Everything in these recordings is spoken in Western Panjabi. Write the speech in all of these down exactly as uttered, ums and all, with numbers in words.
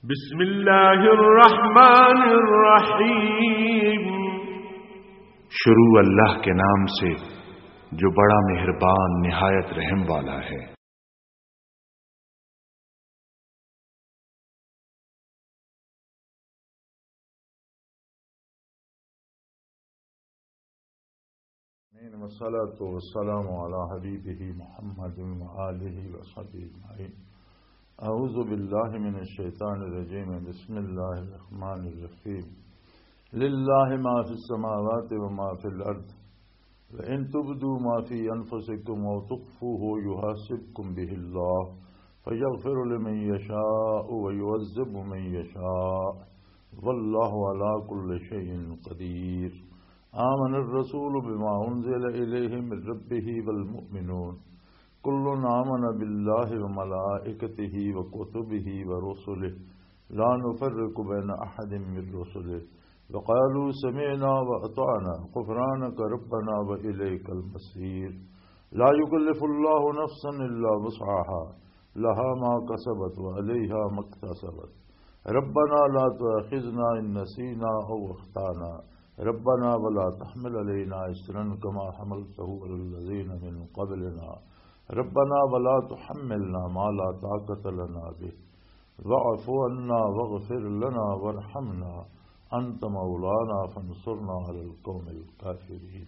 بسم اللہ الرحمن الرحیم۔ شروع اللہ کے نام سے جو بڑا مہربان نہایت رحم والا ہے۔ آمین۔ والصلاة والسلام على حبيبه محمد وآله وصحبه أجمعين۔ أعوذ بالله من الشيطان الرجيم۔ بسم الله الرحمن الرحيم۔ لله ما في السماوات وما في الأرض۔ وإن تبدوا ما في أنفسكم أو تخفوه يحاسبكم به الله فيغفر لمن يشاء ويعذب من يشاء والله على كل شيء قدير۔ آمن الرسول بما أنزل إليه من ربه والمؤمنون كل آمن بالله وملائكته وكتبه ورسله لا نفرق بين أحد من رسله وقالوا سمعنا وأطعنا غفرانك ربنا وإليك المصير۔ لا يكلف الله نفسا إلا وسعها، لها ما كسبت وعليها ما اكتسبت۔ ربنا لا تؤاخذنا إن نسينا أو أخطأنا، ربنا ولا تحمل علينا إصرا كما حملته على الذين من قبلنا، ربنا ولا تحملنا ما لا طاقة لنا به، واعف عنا واغفر لنا وارحمنا، أنت مولانا فانصرنا على القوم الكافرين۔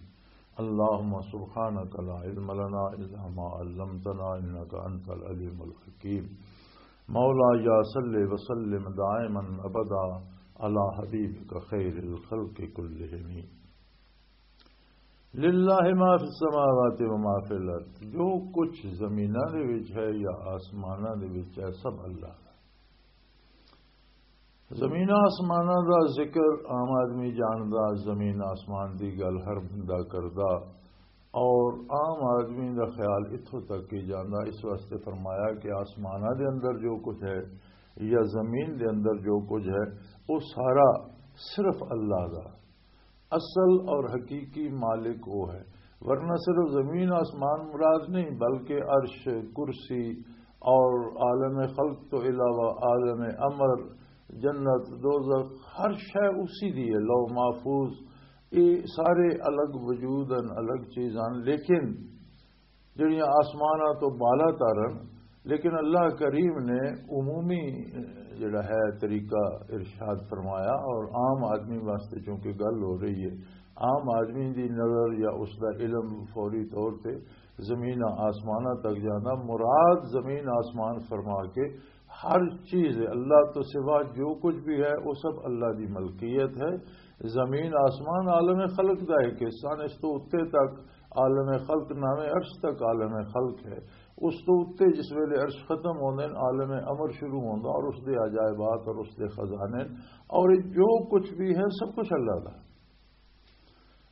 اللهم سبحانك لا علم لنا إلا ما علمتنا إنك أنت العليم الحكيم۔ مولاي صل وسلم دائما أبدا على حبيبك خير الخلق كلهم۔ للہ ما فی السماوات و ما فی الارض، جو کچھ زمیناں دے وچ ہے یا آسماناں دے وچ ہے، سب اللہ دا۔ زمین آسماناں دا ذکر عام آدمی جاندا، زمین آسمان دی گل ہر بندہ کردا، اور عام آدمی دا خیال اتھوں تک ہی جاندا۔ اس واسطے فرمایا کہ آسماناں دے اندر جو کچھ ہے یا زمین دے اندر جو کچھ ہے، وہ سارا صرف اللہ دا۔ اصل اور حقیقی مالک وہ ہے، ورنہ صرف زمین آسمان مراد نہیں، بلکہ عرش، کرسی اور عالم خلق تو علاوہ عالم امر، جنت، دوزخ، ہر شے اسی دی ہے۔ لوح محفوظ، یہ سارے الگ وجود ہیں، الگ چیز ہیں، لیکن جڑیاں آسماناں تو بالا تر ہن، لیکن اللہ کریم نے عمومی، اہ، جڑا ہے طریقہ ارشاد فرمایا، اور عام آدمی واسطے چونکہ گل ہو رہی ہے، عام آدمی دی نظر یا اس دا علم فوری طور تے زمین آسماناں تک جانا۔ مراد زمین آسمان فرما کے ہر چیز ہے، اللہ تو سوا جو کچھ بھی ہے، وہ سب اللہ دی ملکیت ہے۔ زمین آسمان عالم خلق دا ایک حصہ نے، اس تو اتے تک عالم خلق، ناویں عرش تک عالم خلق ہے۔ اس تو اتے جس ویلے عرش ختم ہوندے نے، عالم امر شروع ہوندا اور اس دے عجائبات اور اس دے خزانے اور جو کچھ بھی ہے، سب کچھ اللہ دا۔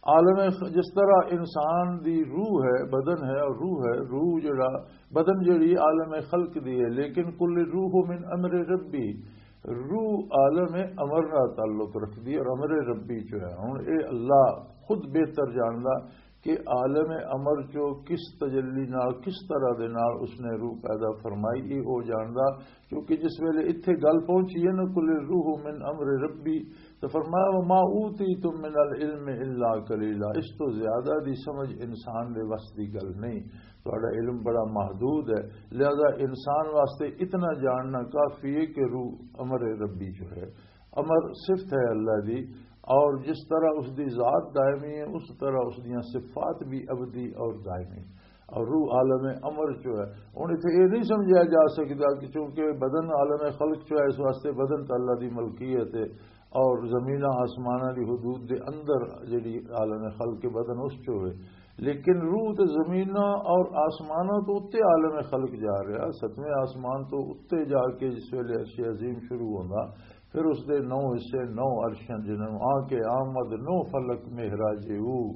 عالم خ-، جس طرح انسان دی روح ہے، بدن ہے اور روح ہے، روح جڑا، بدن جڑی عالم خلق دی ہے، لیکن کل روح من امر ربی، روح عالم امر نال تعلق رکھدی ہے اور امر ربی چ ہے۔ ہن اے اللہ خود بہتر جاندا کہ عالم امر چو کس تجلی نال، کس طرح دے نال اس نے روح پیدا فرمائی، اے او جاندا۔ کیونکہ جس ویلے اتھے گل پہنچی ہے نا، "کل روح من امر ربی"، تو فرمایا، "وما اوتیتم من العلم الا قلیلا"، اس تو زیادہ دی سمجھ انسان دے وس دی گل نہیں۔ تہاڈا علم بڑا محدود ہے، لہذا انسان واسطے اتنا جاننا کافی ہے کہ روح امر ربی جو ہے، امر صفت ہے اللہ دی، اور جس طرح اس دی ذات دائمی ہے، اس طرح اس دیاں صفات بھی ابدی اور دائمی۔ اور روح عالم امر چو ہے۔ ہن اتھے یہ نہیں سمجھا جا سکدا کہ چونکہ بدن عالم خلق چو ہے، اس واسطے بدن تے اللہ دی ملکیت ہے اور زمیناں آسماناں دی حدود دے اندر جڑی عالم خلق کے بدن اس چو ہے، لیکن روح تے زمیناں اور آسماناں تو اتے عالم خلق جا رہا، ستویں آسمان تو اتے جا کے جس ویلے عرش عظیم شروع ہوندا، پھر اس دے نو حصے، نو عرشاں، جنہاں آ کے آمد نو فلک معراج او،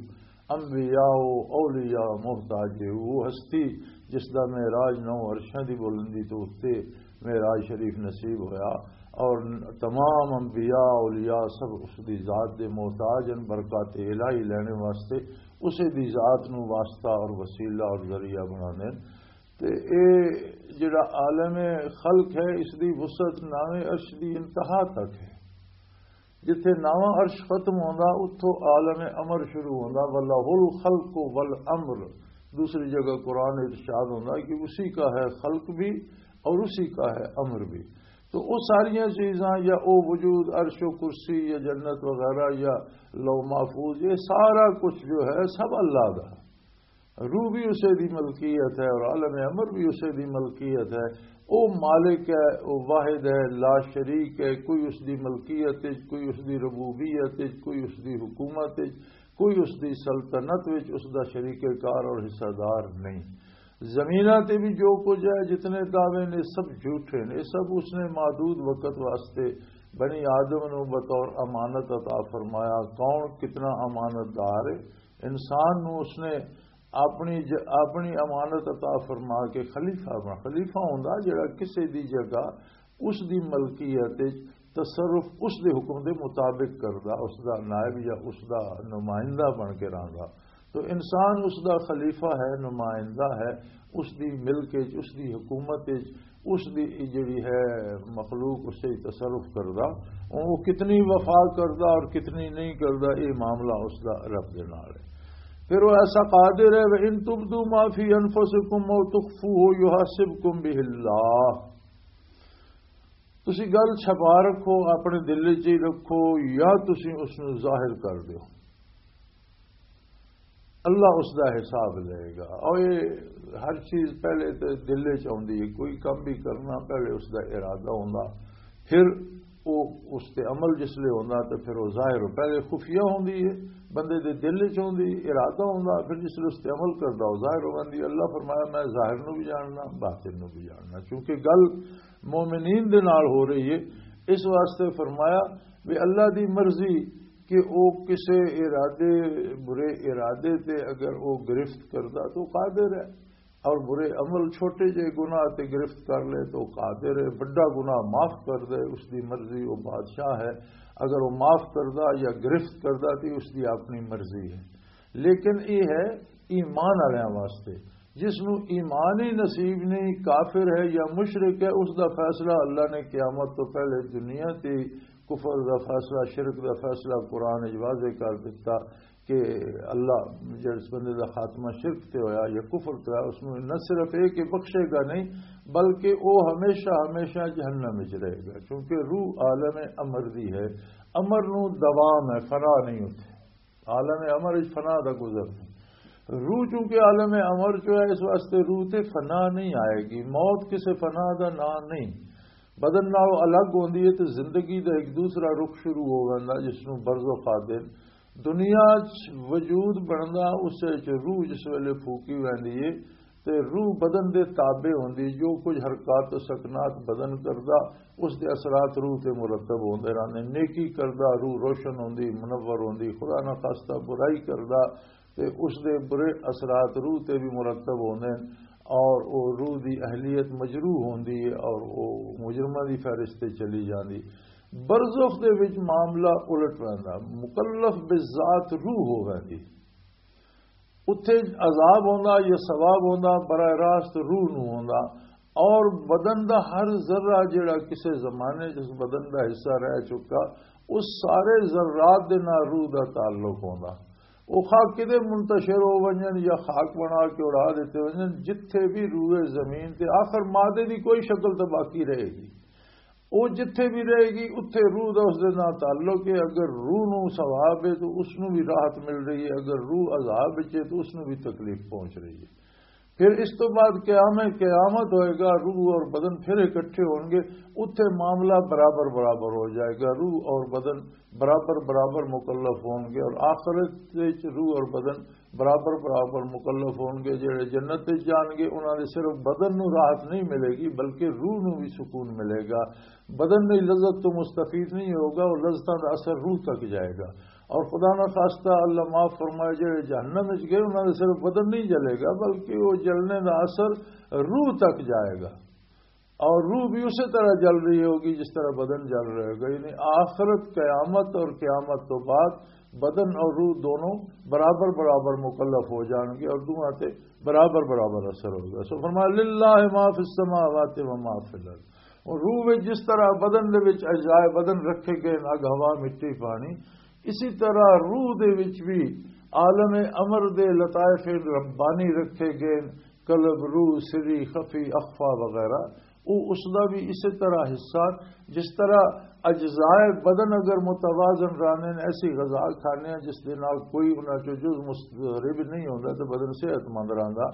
انبیاء و اولیاء محتاج او، وہ ہستی جس دا معراج نو عرشاں دی بلندی تو اتے معراج شریف نصیب ہویا، اور تمام انبیاء اولیاء سب اس دی ذات دے محتاج ہیں، برکات الہی لینے واسطے اسے دی ذات نو واسطہ اور وسیلہ اور ذریعہ بنانے۔ تے اے جڑا عالم خلق ہے، اس دی وسعت ناویں عرش دی انتہا تک ہے۔ جتھے ناواں عرش ختم ہوندا، اتھوں عالم امر شروع ہوندا، وَلَهُ الْخَلْقُ وَالْأَمْرُ۔ دوسری جگہ قرآن ارشاد ہوندا کہ اسی کا ہے خلق بھی اور اسی کا ہے امر بھی۔ تو وہ ساریاں چیزاں، یا او وجود، عرش و کرسی یا جنت وغیرہ یا لوح محفوظ، یہ سارا کچھ جو ہے، سب اللہ دا۔ روح بھی اسے دی ملکیت ہے اور عالم امر بھی اسے دی ملکیت ہے۔ او مالک ہے، او واحد ہے، لا شریک ہے، کوئی اس دی ملکیت وچ، کوئی اس دی ربوبیت وچ، کوئی اس دی حکومت وچ، کوئی اس دی سلطنت وچ اس دا شریک کار اور حصہ دار نہیں۔ زمیناں تے بھی جو کچھ ہے، جتنے دعوے نے، سب جھوٹے نے، سب اس نے محدود وقت واسطے بنی آدم نو بطور امانت عطا فرمایا۔ کون کتنا امانت دار ہے؟ انسان نو اس نے اپنی ج-، اپنی امانت عطا فرما کے خلیفہ بنا۔ خلیفہ ہوندا جڑا کسے دی جگہ اس دی ملکیت وچ تصرف اس دے حکم دے مطابق کردا، اس دا نائب یا اس دا نمائندہ بن کے رہندا۔ تو انسان اس دا خلیفہ ہے، نمائندہ ہے، اس دی ملک وچ، اس دی حکومت وچ، اس دی جڑی ہے مخلوق، اس سے تصرف کردا۔ وہ کتنی وفا کردا اور کتنی نہیں کردا، یہ معاملہ اس دا رب دے نال ہے۔ پھر وہ ایسا قادر ہے، وَإِن تُبْدُوا مَا فِي أَنفُسِكُمْ أَوْ تُخْفُوهُ يُحَاسِبْكُم بِهِ اللَّهُ۔ تسی گل چھپا رکھو، اپنے دل وچ ہی رکھو، یا تسی اس نو ظاہر کر دیو، اللہ اس دا حساب لے گا۔ اور یہ ہر چیز پہلے تے دل وچ آوندی ہے، کوئی کم بھی کرنا پہلے اس دا ارادہ ہوندا، پھر وہ اس تے عمل جس لے ہوندا تے پھر وہ ظاہر ہو۔ پہلے خفیہ ہوندی ہے، بندے دے دل وچ ہوندی، ارادہ ہوندا، پھر جس لے اس تے عمل کردا وہ ظاہر ہو جاندی ہے۔ اللہ فرمایا، میں ظاہر نو بھی جاننا، باطن نو بھی جاننا، کیونکہ گل مومنین دے نال ہو رہی ہے۔ اس واسطے فرمایا بھی اللہ دی مرضی کہ او کسے ارادے، برے ارادے تے اگر او گرفت کردا تو قادر ہے، اور برے عمل، چھوٹے جے گناہ تے گرفت کر لے تو قادر ہے، بڑا گناہ معاف کر دے، اس دی مرضی، وہ بادشاہ ہے۔ اگر وہ معاف کردا یا گرفت کردا تو اس دی اپنی مرضی ہے۔ لیکن یہ ہے ایمان والوں واسطے، جس نو ایمان ہی نصیب نہیں، کافر ہے یا مشرک ہے، اس دا فیصلہ اللہ نے قیامت تو پہلے دنیا تے، کفر دا فیصلہ، شرک دا فیصلہ قرآن وچ واضح کر دتا کہ اللہ جس بندے دا خاتمہ شرک تے ہویا یا کفر تے ہویا، اس نو نہ صرف اے کہ بخشے گا نہیں، بلکہ او ہمیشہ ہمیشہ جہنم وچ رہے گا، کیونکہ روح عالم امر دی ہے۔ امر نو دوام ہے، فنا نہیں ہوتے۔ عالم امر وچ فنا دا گزر نہیں۔ روح چونکہ عالم امر چ ہے، اس واسطے روح تے فنا نہیں آئے گی۔ موت کسے فنا دا نام نہیں۔ بدن نال الگ ہوندی ہے تے زندگی دا ایک دوسرا رخ شروع ہو ویندا، جس نوں برزخ آدے۔ دنیا چ وجود بندا، اس وچ روح جس ویلے پھوکی ویندی ہے، تے روح بدن دے تابع ہوندی، جو کچھ حرکات و سکنات بدن کردا، اس دے اثرات روح تے مرتب ہوندے رہندے۔ نیکی کردا، روح روشن ہوندی، منور ہوندی، خدا نہ خواستہ برائی کردا، تے اس دے برے اثرات روح تے بھی مرتب ہوندے ہیں، اور او روح دی اہلیت مجروح ہوندی ہے، اور او مجرماں دی فہرست تے چلی جاندی۔ برزخ دے وچ معاملہ الٹ ویندا، مکلف بذات روح ہو ویندی۔ اتھے عذاب ہوندا یا ثواب ہوندا، براہ راست روح نو ہوندا، اور بدن دا ہر ذرہ جڑا کسے زمانے جس بدن دا حصہ رہ چکا، اس سارے ذرات دے نال روح دا تعلق ہوندا۔ او خاک کدے منتشر ہو ونجن یا خاک بنا کے اڑا دیتے ونجن، جتھے بھی روئے زمین تے آخر مادے دی کوئی شکل تو باقی رہے گی۔ او جتھے بھی رہے گی، اتھے روح دا اس دے نال تعلق ہے۔ اگر روح نو ثواب ہے تو اس نو بھی راحت مل رہی ہے، اگر روح عذاب وچ ہے تو اس نو بھی تکلیف پہنچ رہی ہے۔ پھر اس تو بعد قیام قیامت ہوئے گا، روح اور بدن پھر اکٹھے ہون گے، اتھے معاملہ برابر برابر ہو جائے گا، روح اور بدن برابر برابر مکلف ہون گے، اور آخرت وچ روح اور بدن برابر برابر مکلف ہون گے۔ جڑے جنت وچ جان گے، انہاں دے صرف بدن نو راحت نہیں ملے گی، بلکہ روح نو بھی سکون ملے گا۔ بدن دی لذت تو مستفید نہیں ہوگا، اور لذتاں دا اثر روح تک جائے گا۔ اور خدا نہ خواستہ، اللہ معاف فرمائے، جڑے جہنم وچ گئے، انہاں دے صرف بدن نہیں جلے گا، بلکہ وہ جلنے دا اثر روح تک جائے گا۔ اور روح بھی اسی طرح جل رہی ہوگی جس طرح بدن جل رہے گا۔ یعنی آخرت، قیامت اور قیامت تو بعد بدن اور روح دونوں برابر برابر مکلف ہو جان گے اور دونوں تے برابر برابر اثر ہوگا۔ سو فرمایا، "للہ ما فی السماوات و ما فی الارض۔" اور روح وچ جس طرح بدن دے وچ اجزائے بدن رکھے گئے، اگ، ہوا، مٹی، پانی، اسی طرح روح دے وچ بھی عالم امر دے لطائف ربانی رکھے گئے، قلب، روح، سری، خفی، اخفا وغیرہ، وہ اس دا بھی اسی طرح حصہ، جس طرح اجزائے بدن اگر متوازن رہنے، ایسی غذا کھانے ہیں جس دے نال کوئی انہاں چوں جز مضطرب نہیں ہوندا، تو بدن صحت مند رہندا۔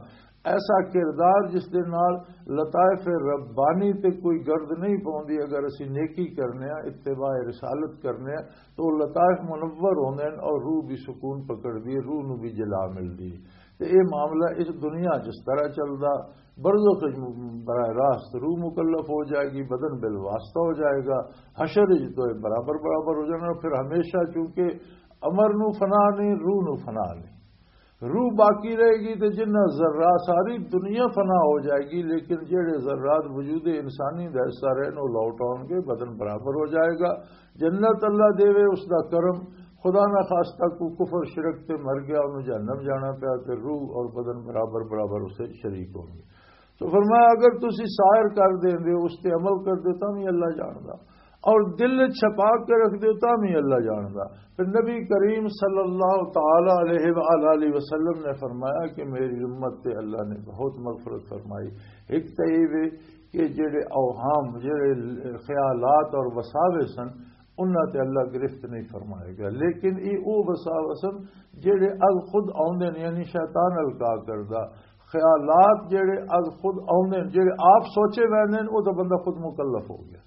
ایسا کردار جس دے نال لطائف ربانی تے کوئی گرد نہیں پوندی، اگر اسی نیکی کرنے ہیں، اتباع رسالت کرنے ہیں، تو وہ لطائف منور ہوندے ہیں اور روح بھی سکون پکڑدی ہے، روح نو بھی جلا ملدی ہے۔ تے اے معاملہ اس دنیا جس طرح چلدا، برزخ وچ براہ راست روح مکلف ہو جائے گی، بدن بالواسطہ ہو جائے گا، حشر وچ تو اے برابر برابر ہو جانا۔ پھر ہمیشہ چونکہ امر نو فنا نہیں، روح نو فنا نہیں، روح باقی رہے گی۔ تے جنہ ذرہ، ساری دنیا فنا ہو جائے گی، لیکن جہڑے ذرات وجود انسانی دا حصہ رہے نو لوٹ آؤ گے، بدن برابر ہو جائے گا۔ جنت اللہ دے وے، اس دا کرم۔ خدا نہ خاصتا کوئی کفر شرک تے مر گیا، انہوں جہنم جانا پیا، تے روح اور بدن برابر برابر اسے شریک ہوں گے۔ تو فرمایا، اگر تسی سائر کر دیں دے، اس تے عمل کر دے، تاں بھی اللہ جاندا، اور دل چھپا کے رکھ دے، تاں بھی اللہ جاندا۔ پھر نبی کریم صلی اللہ تعالی علیہ وآلہ وسلم نے فرمایا کہ میری امت تے اللہ نے بہت مغفرت فرمائی۔ ایک تے یہ وے کہ جڑے اوہام، جڑے خیالات اور وساوے سن، انہاں تے اللہ گرفت نہیں فرمائے گا۔ لیکن یہ او وساوے سن جڑے از خود آوندے نے، یعنی شیطان القا کردا۔ خیالات جڑے از خود آوندے نے، جڑے آپ سوچے ویندے نے، او تو بندہ خود مکلف ہو گیا۔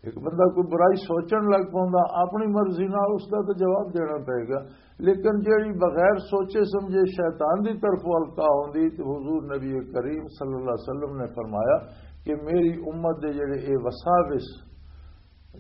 ایک بندہ کوئی برائی سوچن لگ پوندا اپنی مرضی نال، اس دا تو جواب دینا پئے گا۔ لیکن جڑی بغیر سوچے سمجھے شیطان دی طرف القا ہوندی، تے حضور نبی کریم صلی اللہ علیہ وسلم نے فرمایا کہ میری امت دے جڑے اے وساوس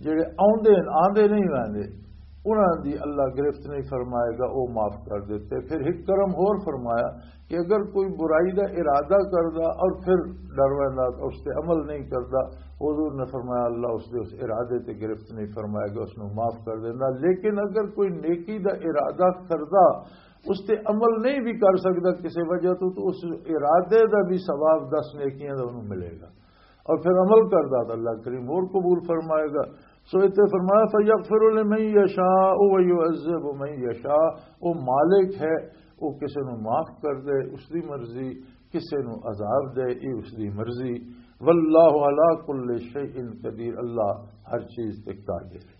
جڑے آوندے نے، آندے نہیں ویندے، انہاں دی اللہ گرفت نہیں فرمائے گا، او معاف کر دیتے۔ پھر ایک کرم ہور فرمایا کہ اگر کوئی برائی دا ارادہ کردا اور پھر ڈر ویندا اور اس تے عمل نہیں کردا، حضور نے فرمایا، اللہ اس دے اس ارادے تے گرفت نہیں فرمائے گا، اس نو معاف کر دیندا۔ لیکن اگر کوئی نیکی دا ارادہ کردا، اس تے عمل نہیں بھی کر سکدا کسی وجہ تو، تو اس ارادے دا بھی ثواب دس نیکیاں دا انہوں ملے گا۔ اور پھر عمل کردا تو اللہ کریم اور قبول فرمائے گا۔ سو اتنے فرمایا، فَيَغْفِرُ لِمَن يَشَاءُ وَيُعَذِّبُ مَن يَشَاءُ، وہ مالک ہے، وہ کسی نو معاف کر دے، اس دی مرضی، کسی نو عذاب دے، یہ اس دی مرضی۔ وَاللَّهُ عَلَى كُلِّ شَيْءٍ قَدِيرٌ، اللہ ہر چیز تے قادر ہے۔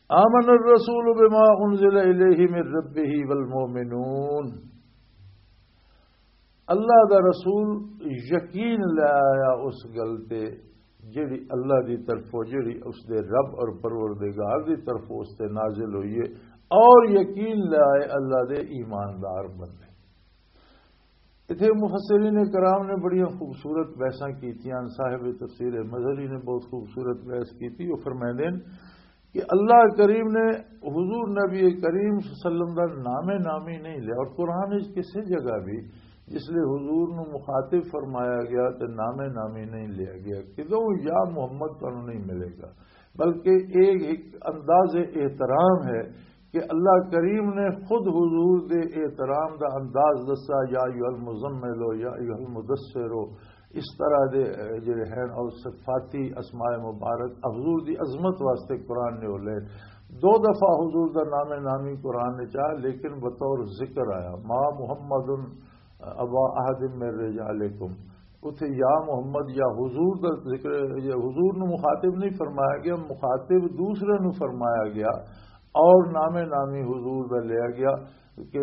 آمن الرسول بما انزل الیہ من ربہ والمؤمنون، اللہ دا رسول یقین لے آیا اس گل تے جڑی اللہ دی طرفوں، جڑی اس دے رب اور پروردگار دی طرفوں اس تے نازل ہوئی ہے، اور یقین لے آئے اللہ دے ایماندار بندے۔ اتھے مفسرین کرام نے بڑیاں خوبصورت بحثاں کیتیاں، صاحب تفسیر مظہری نے بہت خوبصورت بحث کیتی۔ وہ فرمائندے ہیں کہ اللہ کریم نے حضور نبی کریم صلی اللہ علیہ وسلم دا نام نامی نہیں لیا، اور قرآن وچ کسی جگہ بھی جس لئے حضور نو مخاطب فرمایا گیا تے نام نامی نہیں لیا گیا، کدوں یا محمد تانوں نہیں ملے گا، بلکہ ایک، ایک انداز احترام ہے کہ اللہ کریم نے خود حضور دے احترام دا انداز دسا، یا ایھا المزمل ہو، یا ایھا المدثر ہو، اس طرح دے، اے، جڑے ہیں اور صفاتی اسماء مبارک حضور دی عظمت واسطے قرآن نے ہو لے۔ دو دفعہ حضور دا نام نامی قرآن نے چاہ، لیکن بطور ذکر آیا، ما محمد ابا احد من رجالکم۔ اتھے یا محمد یا حضور دا ذکر، یا حضور نو مخاطب نہیں فرمایا گیا، مخاطب دوسرے نو فرمایا گیا اور نام نامی حضور دا لیا گیا کہ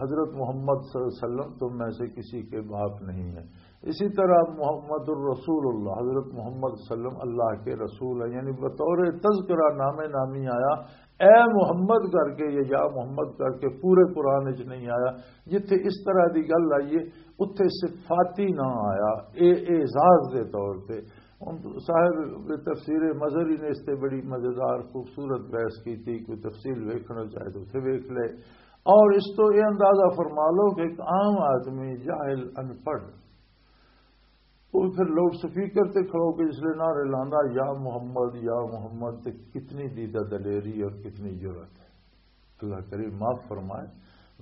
حضرت محمد صلی اللہ علیہ وسلم تم میں سے کسی کے باپ نہیں ہے۔ اسی طرح محمد الرسول اللہ، حضرت محمد صلی اللہ علیہ وسلم اللہ کے رسول ہیں، یعنی بطور تذکرہ نام نامی آیا، اے محمد کر کے یا یا محمد کر کے پورے قرآن وچ نہیں آیا۔ جتھے اس طرح دی گل آئی ہے، اتھے صفاتی نہ آیا، اے اعزاز دے طور تے۔ ہن صاحب تفسیر مظہری نے اس تے بڑی مزیدار خوبصورت بحث کی تھی، کوئی تفصیل ویکھنا چاہے تو اتھے ویکھ لے۔ اور اس تو یہ اندازہ فرما لو کہ ایک عام آدمی، جاہل، ان پڑھ، وہ پھر لاؤڈ سپیکر تے کھڑو کے جس لئے نعرے لاندا، "یا محمد، یا محمد"، تے کتنی دیدہ دلیری اور کتنی جرأت ہے۔ اللہ کریم معاف فرمائے۔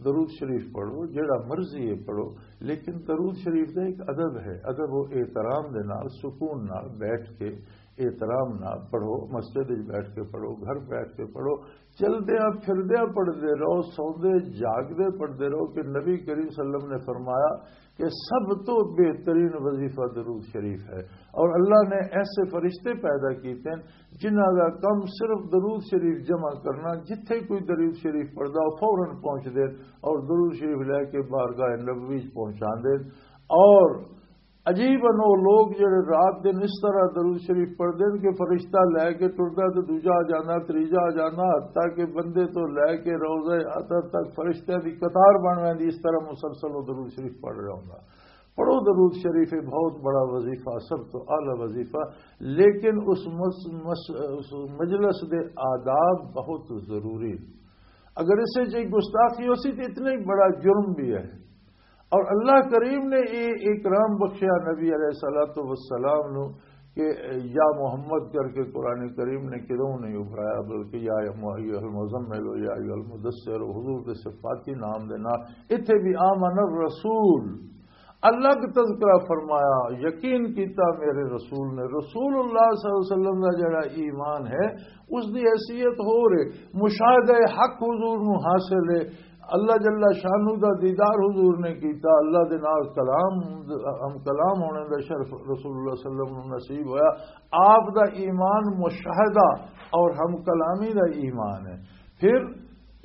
درود شریف پڑھو، جیڑا مرضی ہے پڑھو، لیکن درود شریف دا ایک ادب ہے۔ ادب و احترام دے نال، سکون نال بیٹھ کے، احترام نال پڑھو، مسجد وچ بیٹھ کے پڑھو، گھر بیٹھ کے پڑھو، چلدیاں پھردیاں پڑھدے رہو، سوندے جاگدے پڑھدے رہو، کہ نبی کریم صلی اللہ علیہ وسلم نے فرمایا کہ سب تو بہترین وظیفہ درود شریف ہے۔ اور اللہ نے ایسے فرشتے پیدا کیتے ہیں جنہاں دا کم صرف درود شریف جمع کرنا، جتھے کوئی درود شریف پڑھدا، وہ فوراً پہنچ دے اور درود شریف لے کے بارگاہ نبوی چ پہنچا دے۔ اور عجیب انو لوگ جڑے رات دن اس طرح درود شریف پڑھدے ہیں کہ فرشتہ لے کے ٹردا تے دوجا آ جانا، تریجا آ جانا، حتیٰ کہ بندے تو لے کے روضہ اطہر تک فرشتیاں دی قطار بن ویندی، اس طرح مسلسل وہ درود شریف پڑھ رہا ہوندا۔ پڑھو درود شریف، یہ بہت بڑا وظیفہ، سب تو اعلیٰ وظیفہ، لیکن اس مس-، مس-، اس مجلس دے آداب بہت ضروری۔ اگر اسے چ گستاخی ہو سی تو اتنا ہی بڑا جرم بھی ہے۔ اور اللہ کریم نے یہ اکرام بخشیا نبی علیہ الصلوۃ والسلام نو کہ یا محمد کر کے قرآن کریم نے کدوں نہیں ابھرایا، بلکہ یا ایھا المزمل ہو، یا ایھا المدثر ہو، حضور دے صفاتی نام دے نال۔ اتھے بھی آمن الرسول، الگ تذکرہ فرمایا، یقین کیتا میرے رسول نے۔ رسول اللہ صلی اللہ علیہ وسلم دا جڑا ایمان ہے، اس دی حیثیت ہو رہے، مشاہدہ حق حضور نو حاصل ہے۔ اللہ جل شانہ دا دیدار حضور نے کیتا، اللہ دے نال کلام، ہم کلام ہونے دا شرف رسول اللہ صلی اللہ علیہ وسلم نو نصیب ہویا۔ آپ دا ایمان مشاہدہ اور ہم کلامی دا ایمان ہے۔ پھر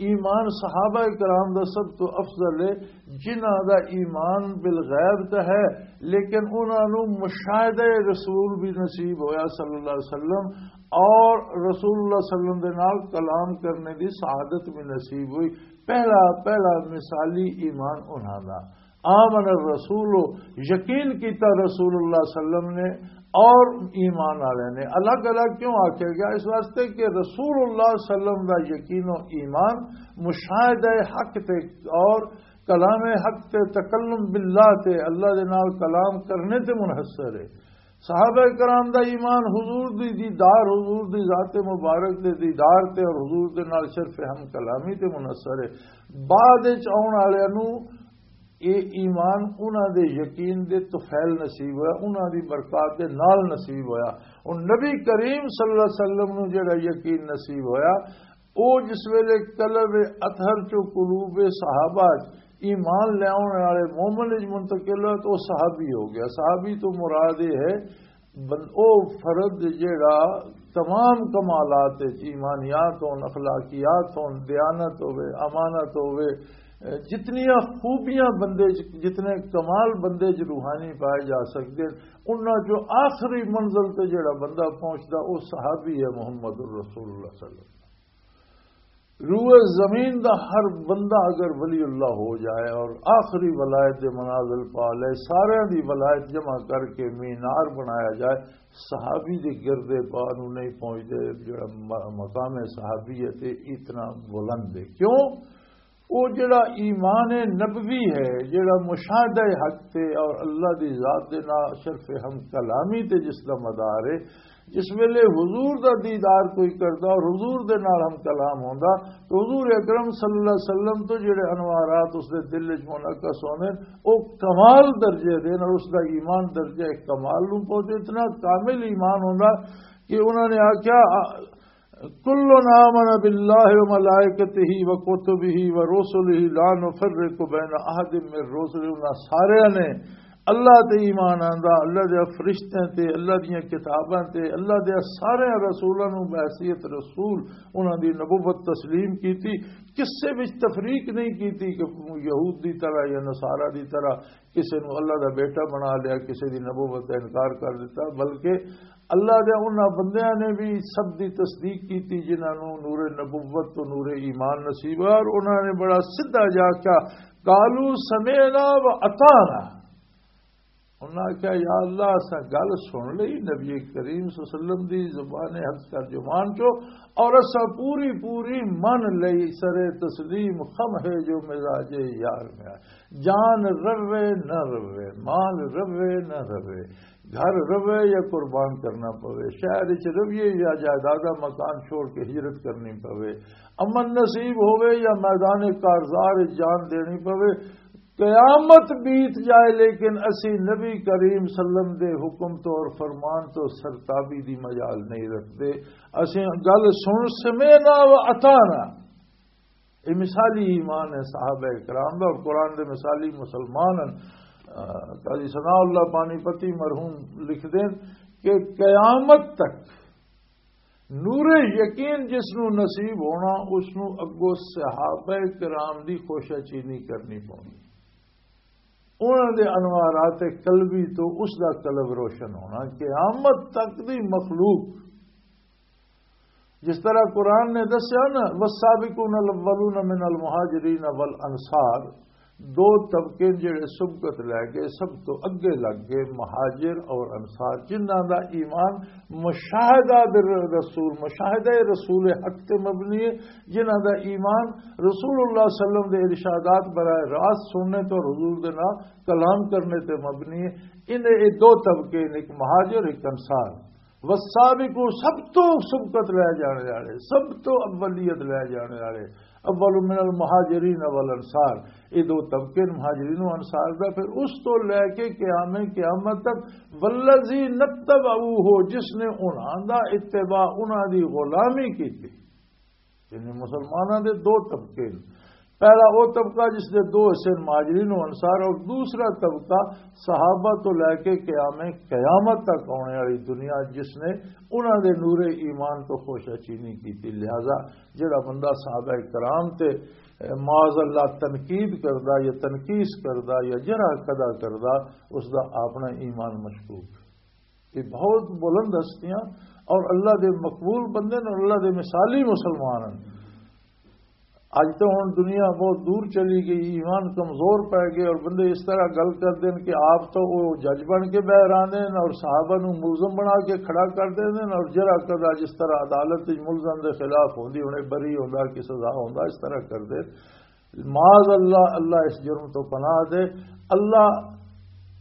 ایمان صحابہ کرام دا سب تو افضل ہے، جنہاں دا ایمان بالغیب تے ہے، لیکن انہاں نوں مشاہدہ رسول بھی نصیب ہویا صلی اللہ علیہ وسلم، اور رسول اللہ صلی اللہ علیہ وسلم دے نال کلام کرنے دی سعادت بھی نصیب ہوئی۔ پہلا، پہلا مثالی ایمان انہاں دا۔ آمن الرسول، یقین کیتا رسول اللہ صلی اللہ علیہ وسلم نے اور ایمان والے نے۔ الگ الگ کیوں آکھیا گیا؟ اس واسطے کہ رسول اللہ صلی اللہ علیہ وسلم دا یقین و ایمان مشاہدہ حق تے اور کلام حق تے، تکلم باللہ تے، اللہ دے نال کلام کرنے تے منحصر ہے۔ صحابہ کرام دا ایمان حضور دی دیدار، حضور دی ذات مبارک دے دیدار تے اور حضور دے نال شرف ہم کلامی تے منحصر ہے۔ بعد وچ آؤن والے نو یہ ایمان انہاں دے یقین دے طفیل نصیب ہویا، انہاں دی برکات دے نال نصیب ہویا۔ اور نبی کریم صلی اللہ علیہ وسلم نو جڑا یقین نصیب ہویا، او جس ویلے قلب اطہر چو قلوب صحابہ چ ایمان لے آنے والے مومن وچ منتقل ہویا تو او صحابی ہو گیا۔ صحابی تو مراد یہ ہے بن-، او فرد جیڑا تمام کمالات وچ، ایمانیات ہون، اخلاقیات ہون، دیانت ہوے، امانت ہوے، جتنیاں خوبیاں بندے چ، جتنے کمال بندے چ روحانی پائے جا سکتے ہیں، انہاں چوں آخری منزل تے جیڑا بندہ پہنچدا، او صحابی ہے محمد الرسول اللہ صلی اللہ علیہ وسلم۔ روئے زمین دا ہر بندہ اگر ولی اللہ ہو جائے اور آخری ولایت دے منازل پا لے، سارے دی ولایت جمع کر کے مینار بنایا جائے، صحابی دے گردے پا نو نہیں پہنچدے، جڑا م-، مقام صحابیت ہے، اتنا بلند ہے۔ کیوں؟ وہ جڑا ایمان نبوی ہے، جڑا مشاہدہ حق تے اور اللہ دی ذات دے نال شرف ہم کلامی تے جس دا مدار ہے، جس ویلے حضور دا دیدار کوئی کردا اور حضور دے نال ہم کلام ہوندا، تو حضور اکرم صلی اللہ علیہ وسلم تو جڑے انوارات اس دے دل وچ منعکس ہوندے، او کمال درجے دے اور اس دا ایمان درجہ کمال نوں پہنچے۔ اتنا کامل ایمان ہوندا کہ انہاں نے آکھیا، کل آمن باللہ و ملائکتہ و کتبہ و رسلہ لا نفرق بین احد من رسلہ، انہاں سارے نے اللہ تے ایمان آندا، اللہ دے فرشتیاں تے، اللہ دیاں کتاباں تے، اللہ دے سارے رسولاں نوں بحیثیت رسول انہاں دی نبوت تسلیم کیتی، کسے وچ تفریق نہیں کیتی کہ یہود دی طرح یا نصارہ دی طرح کسے نوں اللہ دا بیٹا بنا لیا، کسے دی نبوت دا انکار کر دیتا، بلکہ اللہ دے انہاں بندیاں نے بھی سب دی تصدیق کیتی جنہاں نوں نور نبوت تو نور ایمان نصیب ہویا، اور انہاں نے بڑا سیدھا جا کیا، قالوا سمعنا و اطعنا۔ انہاں آکھیا، "یا اللہ، اساں گل سن لئی نبی کریم صلی اللہ علیہ وسلم دی زبان حق ترجمان چو، اور اساں پوری پوری من لئی، سر تسلیم خم ہے جو مزاج یار میں آئے۔" جان روے نہ روے، مال روے نہ روے، گھر روے یا قربان کرنا پوے، شہر وچ رویے یا جائیداد مکان چھوڑ کے ہجرت کرنی پوے، امن نصیب ہوے یا میدان کارزار وچ جان دینی پوے، قیامت بیت جائے، لیکن اسی نبی کریم صلی اللہ علیہ وسلم دے حکم تو اور فرمان تو سرتابی دی مجال نہیں رکھتے۔ اسی گل سن، سمعنا و اطعنا۔ یہ مثالی ایمان ہے صحابہ کرام دا، اور قرآن دے مثالی مسلمان ہیں۔ آ، قاضی ثناء اللہ پانی پتی مرحوم لکھ دین کہ قیامت تک نور یقین جس نو نصیب ہونا، اس نو اگوں صحابہ کرام دی خوشہ چینی کرنی پونی۔ انہاں دے انوارات قلبی تو اس دا قلب روشن ہونا۔ قیامت تک دی مخلوق، جس طرح قرآن نے دسیا نا، "والسابقون الاولون من المہاجرین والانصار"، دو طبقے جڑے سبقت لے گئے، سب تو اگے لگ گئے، مہاجر اور انصار، جنہاں دا ایمان مشاہدہ بر-، رسول، مشاہدہ رسول حق تے مبنی ہے، جنہاں دا ایمان رسول اللہ صلی اللہ علیہ وسلم دے ارشادات براہ راست سننے تو حضور دے نال کلام کرنے تے مبنی ہے۔ انہیں یہ دو طبقے نے، ایک مہاجر، ایک انصار۔ والسابقون، سب تو سبقت لے جانے والے، سب تو اولیت لے جانے والے، اول من المہاجرین والانصار، یہ دو طبقے نے مہاجرین و انصار دا۔ پھر اس تو لے کے قیام قیامت تک، والذین اتبعوہ، جس نے انہاں دا اتباع، انہاں دی غلامی کیتی۔ یعنی مسلماناں دے دو طبقے نے۔ پہلا وہ طبقہ جس دے دو حصے مہاجرین و انصار، اور دوسرا طبقہ صحابہ تو لے کے قیام قیامت تک آنے والی دنیا، جس نے انہاں دے نور ایمان تو خوشہ چینی کی تھی۔ لہذا جڑا بندہ صحابہ کرام تے معاذ اللہ تنقید کردا یا تنقیص کردا یا جرح کدا کردا، اس دا اپنا ایمان مشکوک۔ یہ بہت بلند ہستیاں اور اللہ دے مقبول بندے نے، اللہ دے مثالی مسلمان ہیں۔ اج تو ہن دنیا بہت دور چلی گئی، ایمان کمزور پے گئے، اور بندے اس طرح گل کر دین کہ آپ تو وہ جج بن کے بہ رہے ہیں اور صحابہ نو ملزم بنا کے کھڑا کر دین، اور جرا کدا جس طرح عدالت وچ ملزم دے خلاف ہوندی، انہیں بری ہوندا کہ سزا ہوندا، اس طرح کر دین۔ معاذ اللہ، اللہ اس جرم تو پناہ دے۔ اللہ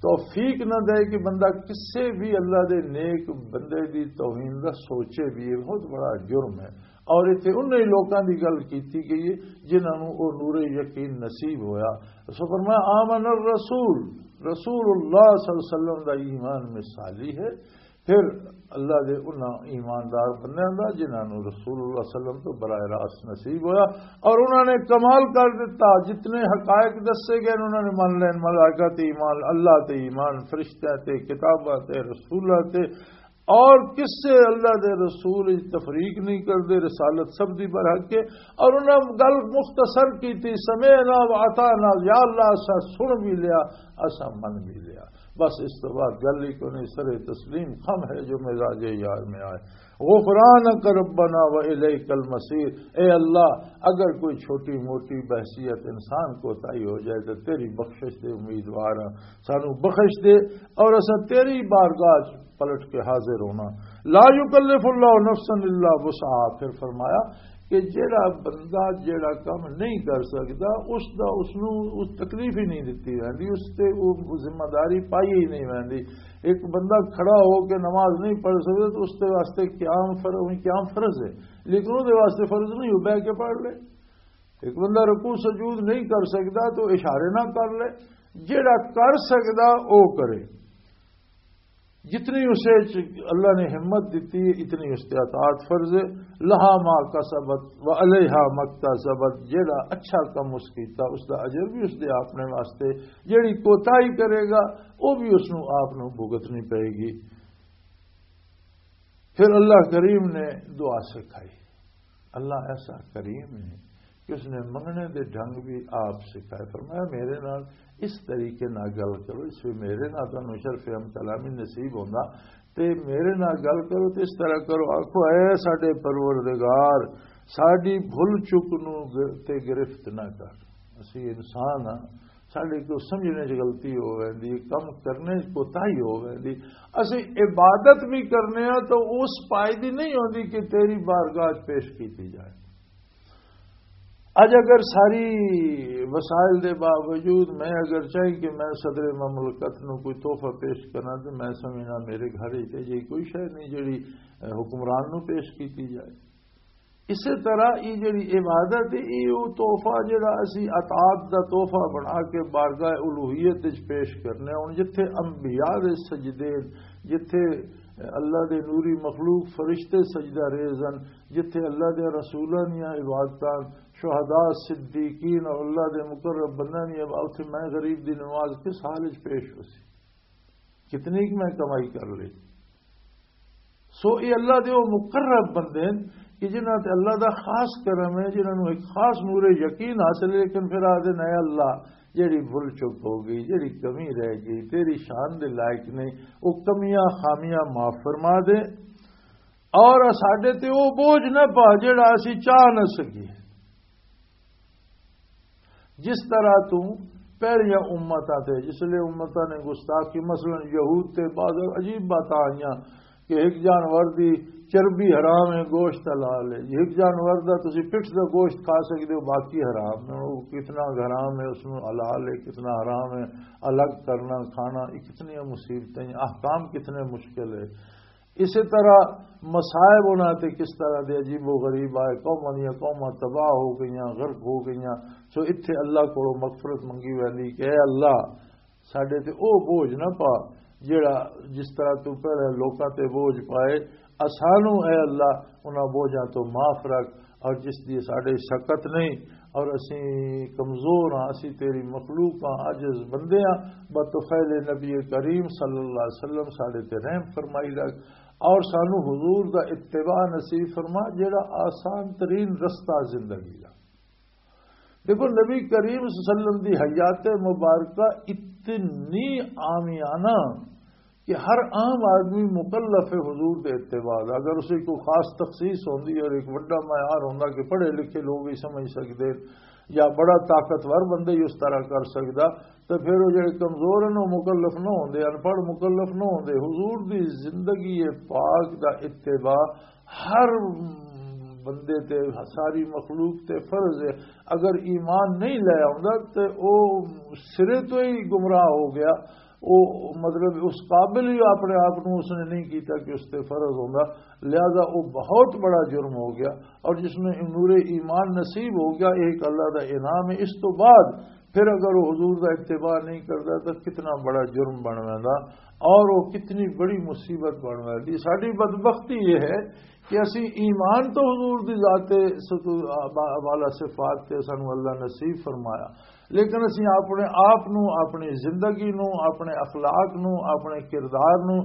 توفیق نہ دے کہ بندہ کسے بھی اللہ دے نیک بندے دی توہین دا سوچے بھی، یہ بہت بڑا جرم ہے۔ اور اتنے انہیں لوکاں دی گل کیتی گئی ہے جنہاں نوں او نور یقین نصیب ہویا۔ سو فرمایا، "آمن الرسول"، رسول اللہ صلی اللہ علیہ وسلم دا ایمان مثالی ہے۔ پھر اللہ دے انہاں ایماندار بندیاں دا جنہاں نوں رسول اللہ صلی اللہ علیہ وسلم تو براہ راست نصیب ہویا اور انہاں نے کمال کر دیتا۔ جتنے حقائق دسے گئے انہاں نے من لین، ملائکہ تے ایمان، اللہ تے ایمان، فرشتہ تے، کتاباں تے، رسولہ تے، اور کسے اللہ دے رسول وچ تفریق نہیں کردے، رسالت سب دی برحق ہے۔ اور انہاں گل مختصر کی تھی، "سمعنا و اطعنا"، یا اللہ اسا سن بھی لیا، اسا من بھی لیا۔ بس اس تو بعد گل ہی کوئی نہیں، سر تسلیم خم ہے جو مزاج یار میں آئے۔ "غفرانک ربنا و الیک المصیر"، اے اللہ، اگر کوئی چھوٹی موٹی بحثیت انسان کوتاہی ہو جائے تو تیری بخشش دے امیدوار ہاں، سانو بخش دے اور اسا تیری بارگاہ چ پلٹ کے حاضر ہونا۔ "لا یکلف اللہ نفسا الا وسعها"، پھر فرمایا کہ جیڑا بندہ جیڑا کم نہیں کر سکدا، اس دا، اس نو اس تکلیف ہی نہیں دتی ویندی، اس تے وہ ذمہ داری پائی ہی نہیں ویندی۔ ایک بندہ کھڑا ہو کے نماز نہیں پڑھ سکدا تو اس دے واسطے قیام فر-، قیام فرض ہے، لیکن اس دے واسطے فرض نہیں ہو بہ کے پڑھ لے۔ ایک بندہ رکوع سجود نہیں کر سکدا تو اشارے نہ کر لے، جیڑا کر سکدا او کرے۔ جتنی اسے چ-، اللہ نے ہمت دیتی ہے، اتنی اس تے اطاعت فرض ہے۔ "لہا ما کسبت و علیہا مکتسبت"، جیڑا اچھا کم اس کیتا، اس دا اجر بھی اس دے اپنے واسطے، جیڑی کوتاہی کرے گا، وہ بھی اس نو آپ نو بھگتنی پائے گی۔ پھر اللہ کریم نے دعا سکھائی۔ اللہ ایسا کریم ہے کہ اس نے منگنے دے ڈھنگ بھی آپ سکھائے۔ فرمایا، "میرے نال اس طریقے نال گل کرو، اس وی میرے نال تانوں شرف ہم کلامی نصیب ہوندا، تے میرے نال گل کرو تے اس طرح کرو، آکھو، اے ساڈے پروردگار، ساڈی بھل چک نو گ-، تے گرفت نہ کر۔" اسی انسان ہاں، ساڈے کو سمجھنے چ غلطی ہو ویندی، کم کرنے چ کوتاہی ہو ویندی۔ اسی عبادت بھی کرنے ہاں تو اس پائے دی نہیں ہوندی کہ تیری بارگاہ چ پیش کیتی جائے۔ اج اگر ساری وسائل دے باوجود میں اگر چاہی کہ میں صدر مملکت نو کوئی تحفہ پیش کرنا تو میں سمجھنا میرے گھر ہی تے جی کوئی شے نہیں جڑی، اے، حکمران نو پیش کیتی جائے۔ اسی طرح یہ جڑی عبادت ہے، یہ وہ تحفہ جڑا اسی عطاعت دا تحفہ بنا کے بارگاہ الوہیت وچ پیش کرنے۔ ہن جتھے انبیاء دے سجدے، جتھے اللہ دے نوری مخلوق فرشتے سجدہ ریز ہن، جتھے اللہ دے رسولاں دیاں عبادتاں، شہداء، صدیقین اور اللہ دے مقرب بندیاں دی عبادت، اتھے میں غریب دی نماز کس حال وچ پیش ہو سی؟ کتنی کہ میں کمائی کر لی؟ سو یہ اللہ دے وہ مقرب بندے ہیں کہ جنہاں تے اللہ دا خاص کرم ہے، جنہاں نوں ایک خاص نور یقین حاصل ہے، لیکن پھر آدھے، "اے اللہ، جڑی بھول چک ہو گئی، جڑی کمی رہ گئی، تیری شان دے لائق نہیں، وہ کمیاں خامیاں معاف فرما دے اور ساڈے تے وہ بوجھ نہ پا جڑا اسی چاہ نہ سکیے۔" جس طرح تو پہلیاں امتاں تے، جس لئے امتاں نے گستاخی، مثلاً یہود تے بعض عجیب باتاں آئیاں کہ ایک جانور دی چربی حرام ہے، گوشت حلال ہے۔ ایک جانور دا تسی پٹھ دا گوشت کھا سکدے ہو، باقی حرام ہے۔ وہ کتنا حرام ہے، اس نوں حلال ہے، کتنا حرام ہے، الگ کرنا، کھانا، یہ کتنی مصیبتیں، احکام کتنے مشکل ہے۔ اسی طرح مصائب انہاں تے کس طرح دے عجیب و غریب آئے، قوماں دیاں قوماں تباہ ہو گئیاں، غرق ہو گئیاں۔ سو اتھے اللہ کولوں مغفرت منگی ویندی کہ اے اللہ، ساڈے تے او بوجھ نہ پا جڑا جس طرح تو پہلے لوکاں تے بوجھ پائے، اسانوں اے اللہ انہاں بوجھاں تو معاف رکھ، اور جس دی ساڈے شکت نہیں، اور اسی کمزور ہاں، اسی تیری مخلوق ہاں، عاجز بندے ہاں۔ بطفیل نبی کریم صلی اللہ علیہ وسلم ساڈے تے رحم فرمائی رکھ، اور سانو حضور دا اتباع نصیب فرما، جڑا آسان ترین رستہ زندگی دا۔ دیکھو، نبی کریم صلی اللہ علیہ وسلم دی حیات مبارکہ اتنی عامیانہ کہ ہر عام آدمی مکلف ہے حضور دے اتباع دا۔ اگر اسے کوئی خاص تخصیص ہوندی اور ایک وڈا معیار ہوندا کہ پڑھے لکھے لوگ ہی سمجھ سکدے یا بڑا طاقتور بندہ ہی اس طرح کر سکدا، تو پھر وہ جڑے کمزور ہیں، وہ مکلف نہ ہوندے، ان پڑھ مکلف نہ ہوندے۔ حضور دی زندگی پاک دا اتباع ہر بندے تے، ساری مخلوق تے فرض ہے۔ اگر ایمان نہیں لے آوندا تے او سرے تو ہی گمراہ ہو گیا۔ او مطلب اس قابل ہی اپنے آپ نو اس نے نہیں کیتا کہ اس تے فرض ہوندا، لہذا وہ بہت بڑا جرم ہو گیا۔ اور جس میں نور ایمان نصیب ہو گیا، یہ ایک اللہ دا انعام ہے۔ اس تو بعد پھر اگر وہ حضور دا اتباع نہیں کرتا تو کتنا بڑا جرم بن ویندا اور وہ کتنی بڑی مصیبت بن ویندی۔ ساڈی بدبختی یہ ہے کہ اسی ایمان تو حضور دی ذات ستو-، با-، والا صفات تے سانو اللہ نصیب فرمایا، لیکن اسی اپنے آپ نو، اپنی زندگی نو، اپنے اخلاق نو، اپنے کردار نو،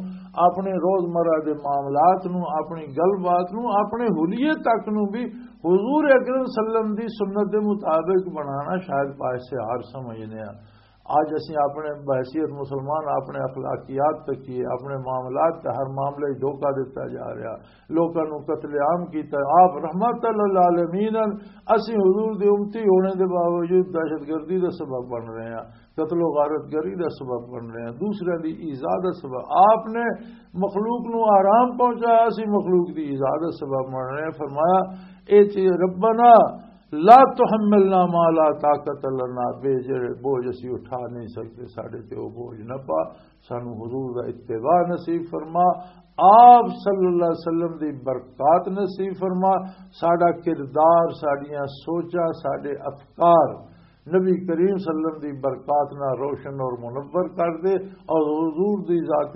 اپنے روزمرہ دے معاملات نو، اپنی گل بات نو، اپنے حلیے تک نو بھی حضور اکرم صلی اللہ علیہ وسلم دی سنت دے مطابق بنانا شاید پاس سے ہار سمجھنے ہیں۔ اج اسی اپنے بحیثیت مسلمان اپنے اخلاقیات تکیے، اپنے معاملات تے ہر معاملے وچ دھوکا دتا جا رہا، لوکاں نوں قتل عام کیتا۔ آپ رحمت للعالمین ہن، اسی حضور دے امتی ہونے دے باوجود دہشت گردی دا سبب بن رہے ہیں، قتل و غارت گری دا سبب بن رہے ہیں، دوسرے دی ایذا دا سبب۔ آپ نے مخلوق نوں آرام پہنچایا، اسی مخلوق دی ایذا دا سبب بن رہے ہیں۔ فرمایا، اے چیز ربنا لا تحملنا ما لا طاقت لنا، بے جڑے بوجھ اسی اٹھا نہیں سکتے، ساڈے تے وہ بوجھ نہ پا، سانو حضور دا اتباع نصیب فرما، آپ صلی اللہ علیہ وسلم دی برکات نصیب فرما، ساڈا کردار، ساڈیاں سوچاں، ساڈے افکار نبی کریم صلی اللہ علیہ وسلم دی برکات نہ روشن اور منور کر دے، اور حضور دی ذات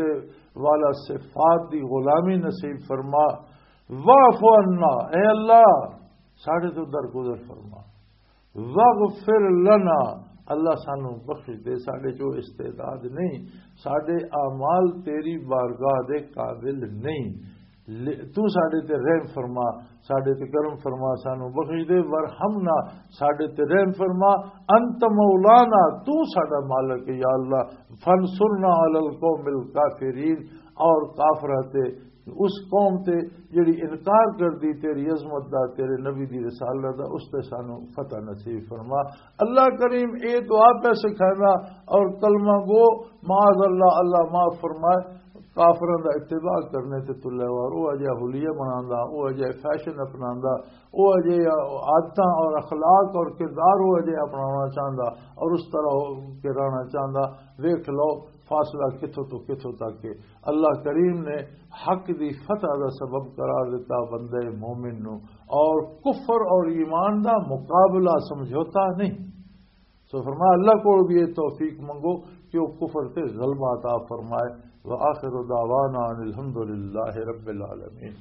والا صفات دی غلامی نصیب فرما۔ واعف عنا، اے اللہ، ساڈے تو درگزر فرما۔ واغفر لنا، اللہ سانو بخش دے، ساڈے چو استعداد نہیں، ساڈے اعمال تیری بارگاہ دے قابل نہیں۔ لے-، تو ساڈے تے رحم فرما، ساڈے تے کرم فرما، سانو بخش دے، ورحمنا، ساڈے تے رحم فرما، انت مولانا، تو ساڈا مالک ہے، یا اللہ، فانصرنا علی القوم الکافرین، اور کافراں تے اس قوم تے جڑی انکار کر دی تیری عظمت دا، تیرے نبی دی رسالت دا، اس تے سانو فتح نصیب فرما۔ اللہ کریم اے دعا پہ سکھائندا، اور کلمہ گو، معاذ اللہ، اللہ معاف فرمائے، کافراں دا اتباع کرنے تے تلے وار، او اجے حلیہ بناندا، او اجے فیشن اپناندا، او اجے عادتاں اور اخلاق اور کردار او اجے اپنانا چاہندا اور اس طرح ہو کے رہنا چاہندا۔ ویکھ لو، فاصلہ کتھوں تو کتھوں تک ہے۔ اللہ کریم نے حق دی فتح دا سبب قرار دیتا بندے مومن نو، اور کفر اور ایمان دا مقابلہ، سمجھوتا نہیں۔ سو فرمایا، اللہ کو بھی یہ توفیق منگو کہ وہ کفر تے غلبہ عطا فرمائے۔ وآخر دعوانا ان الحمد للہ رب العالمین۔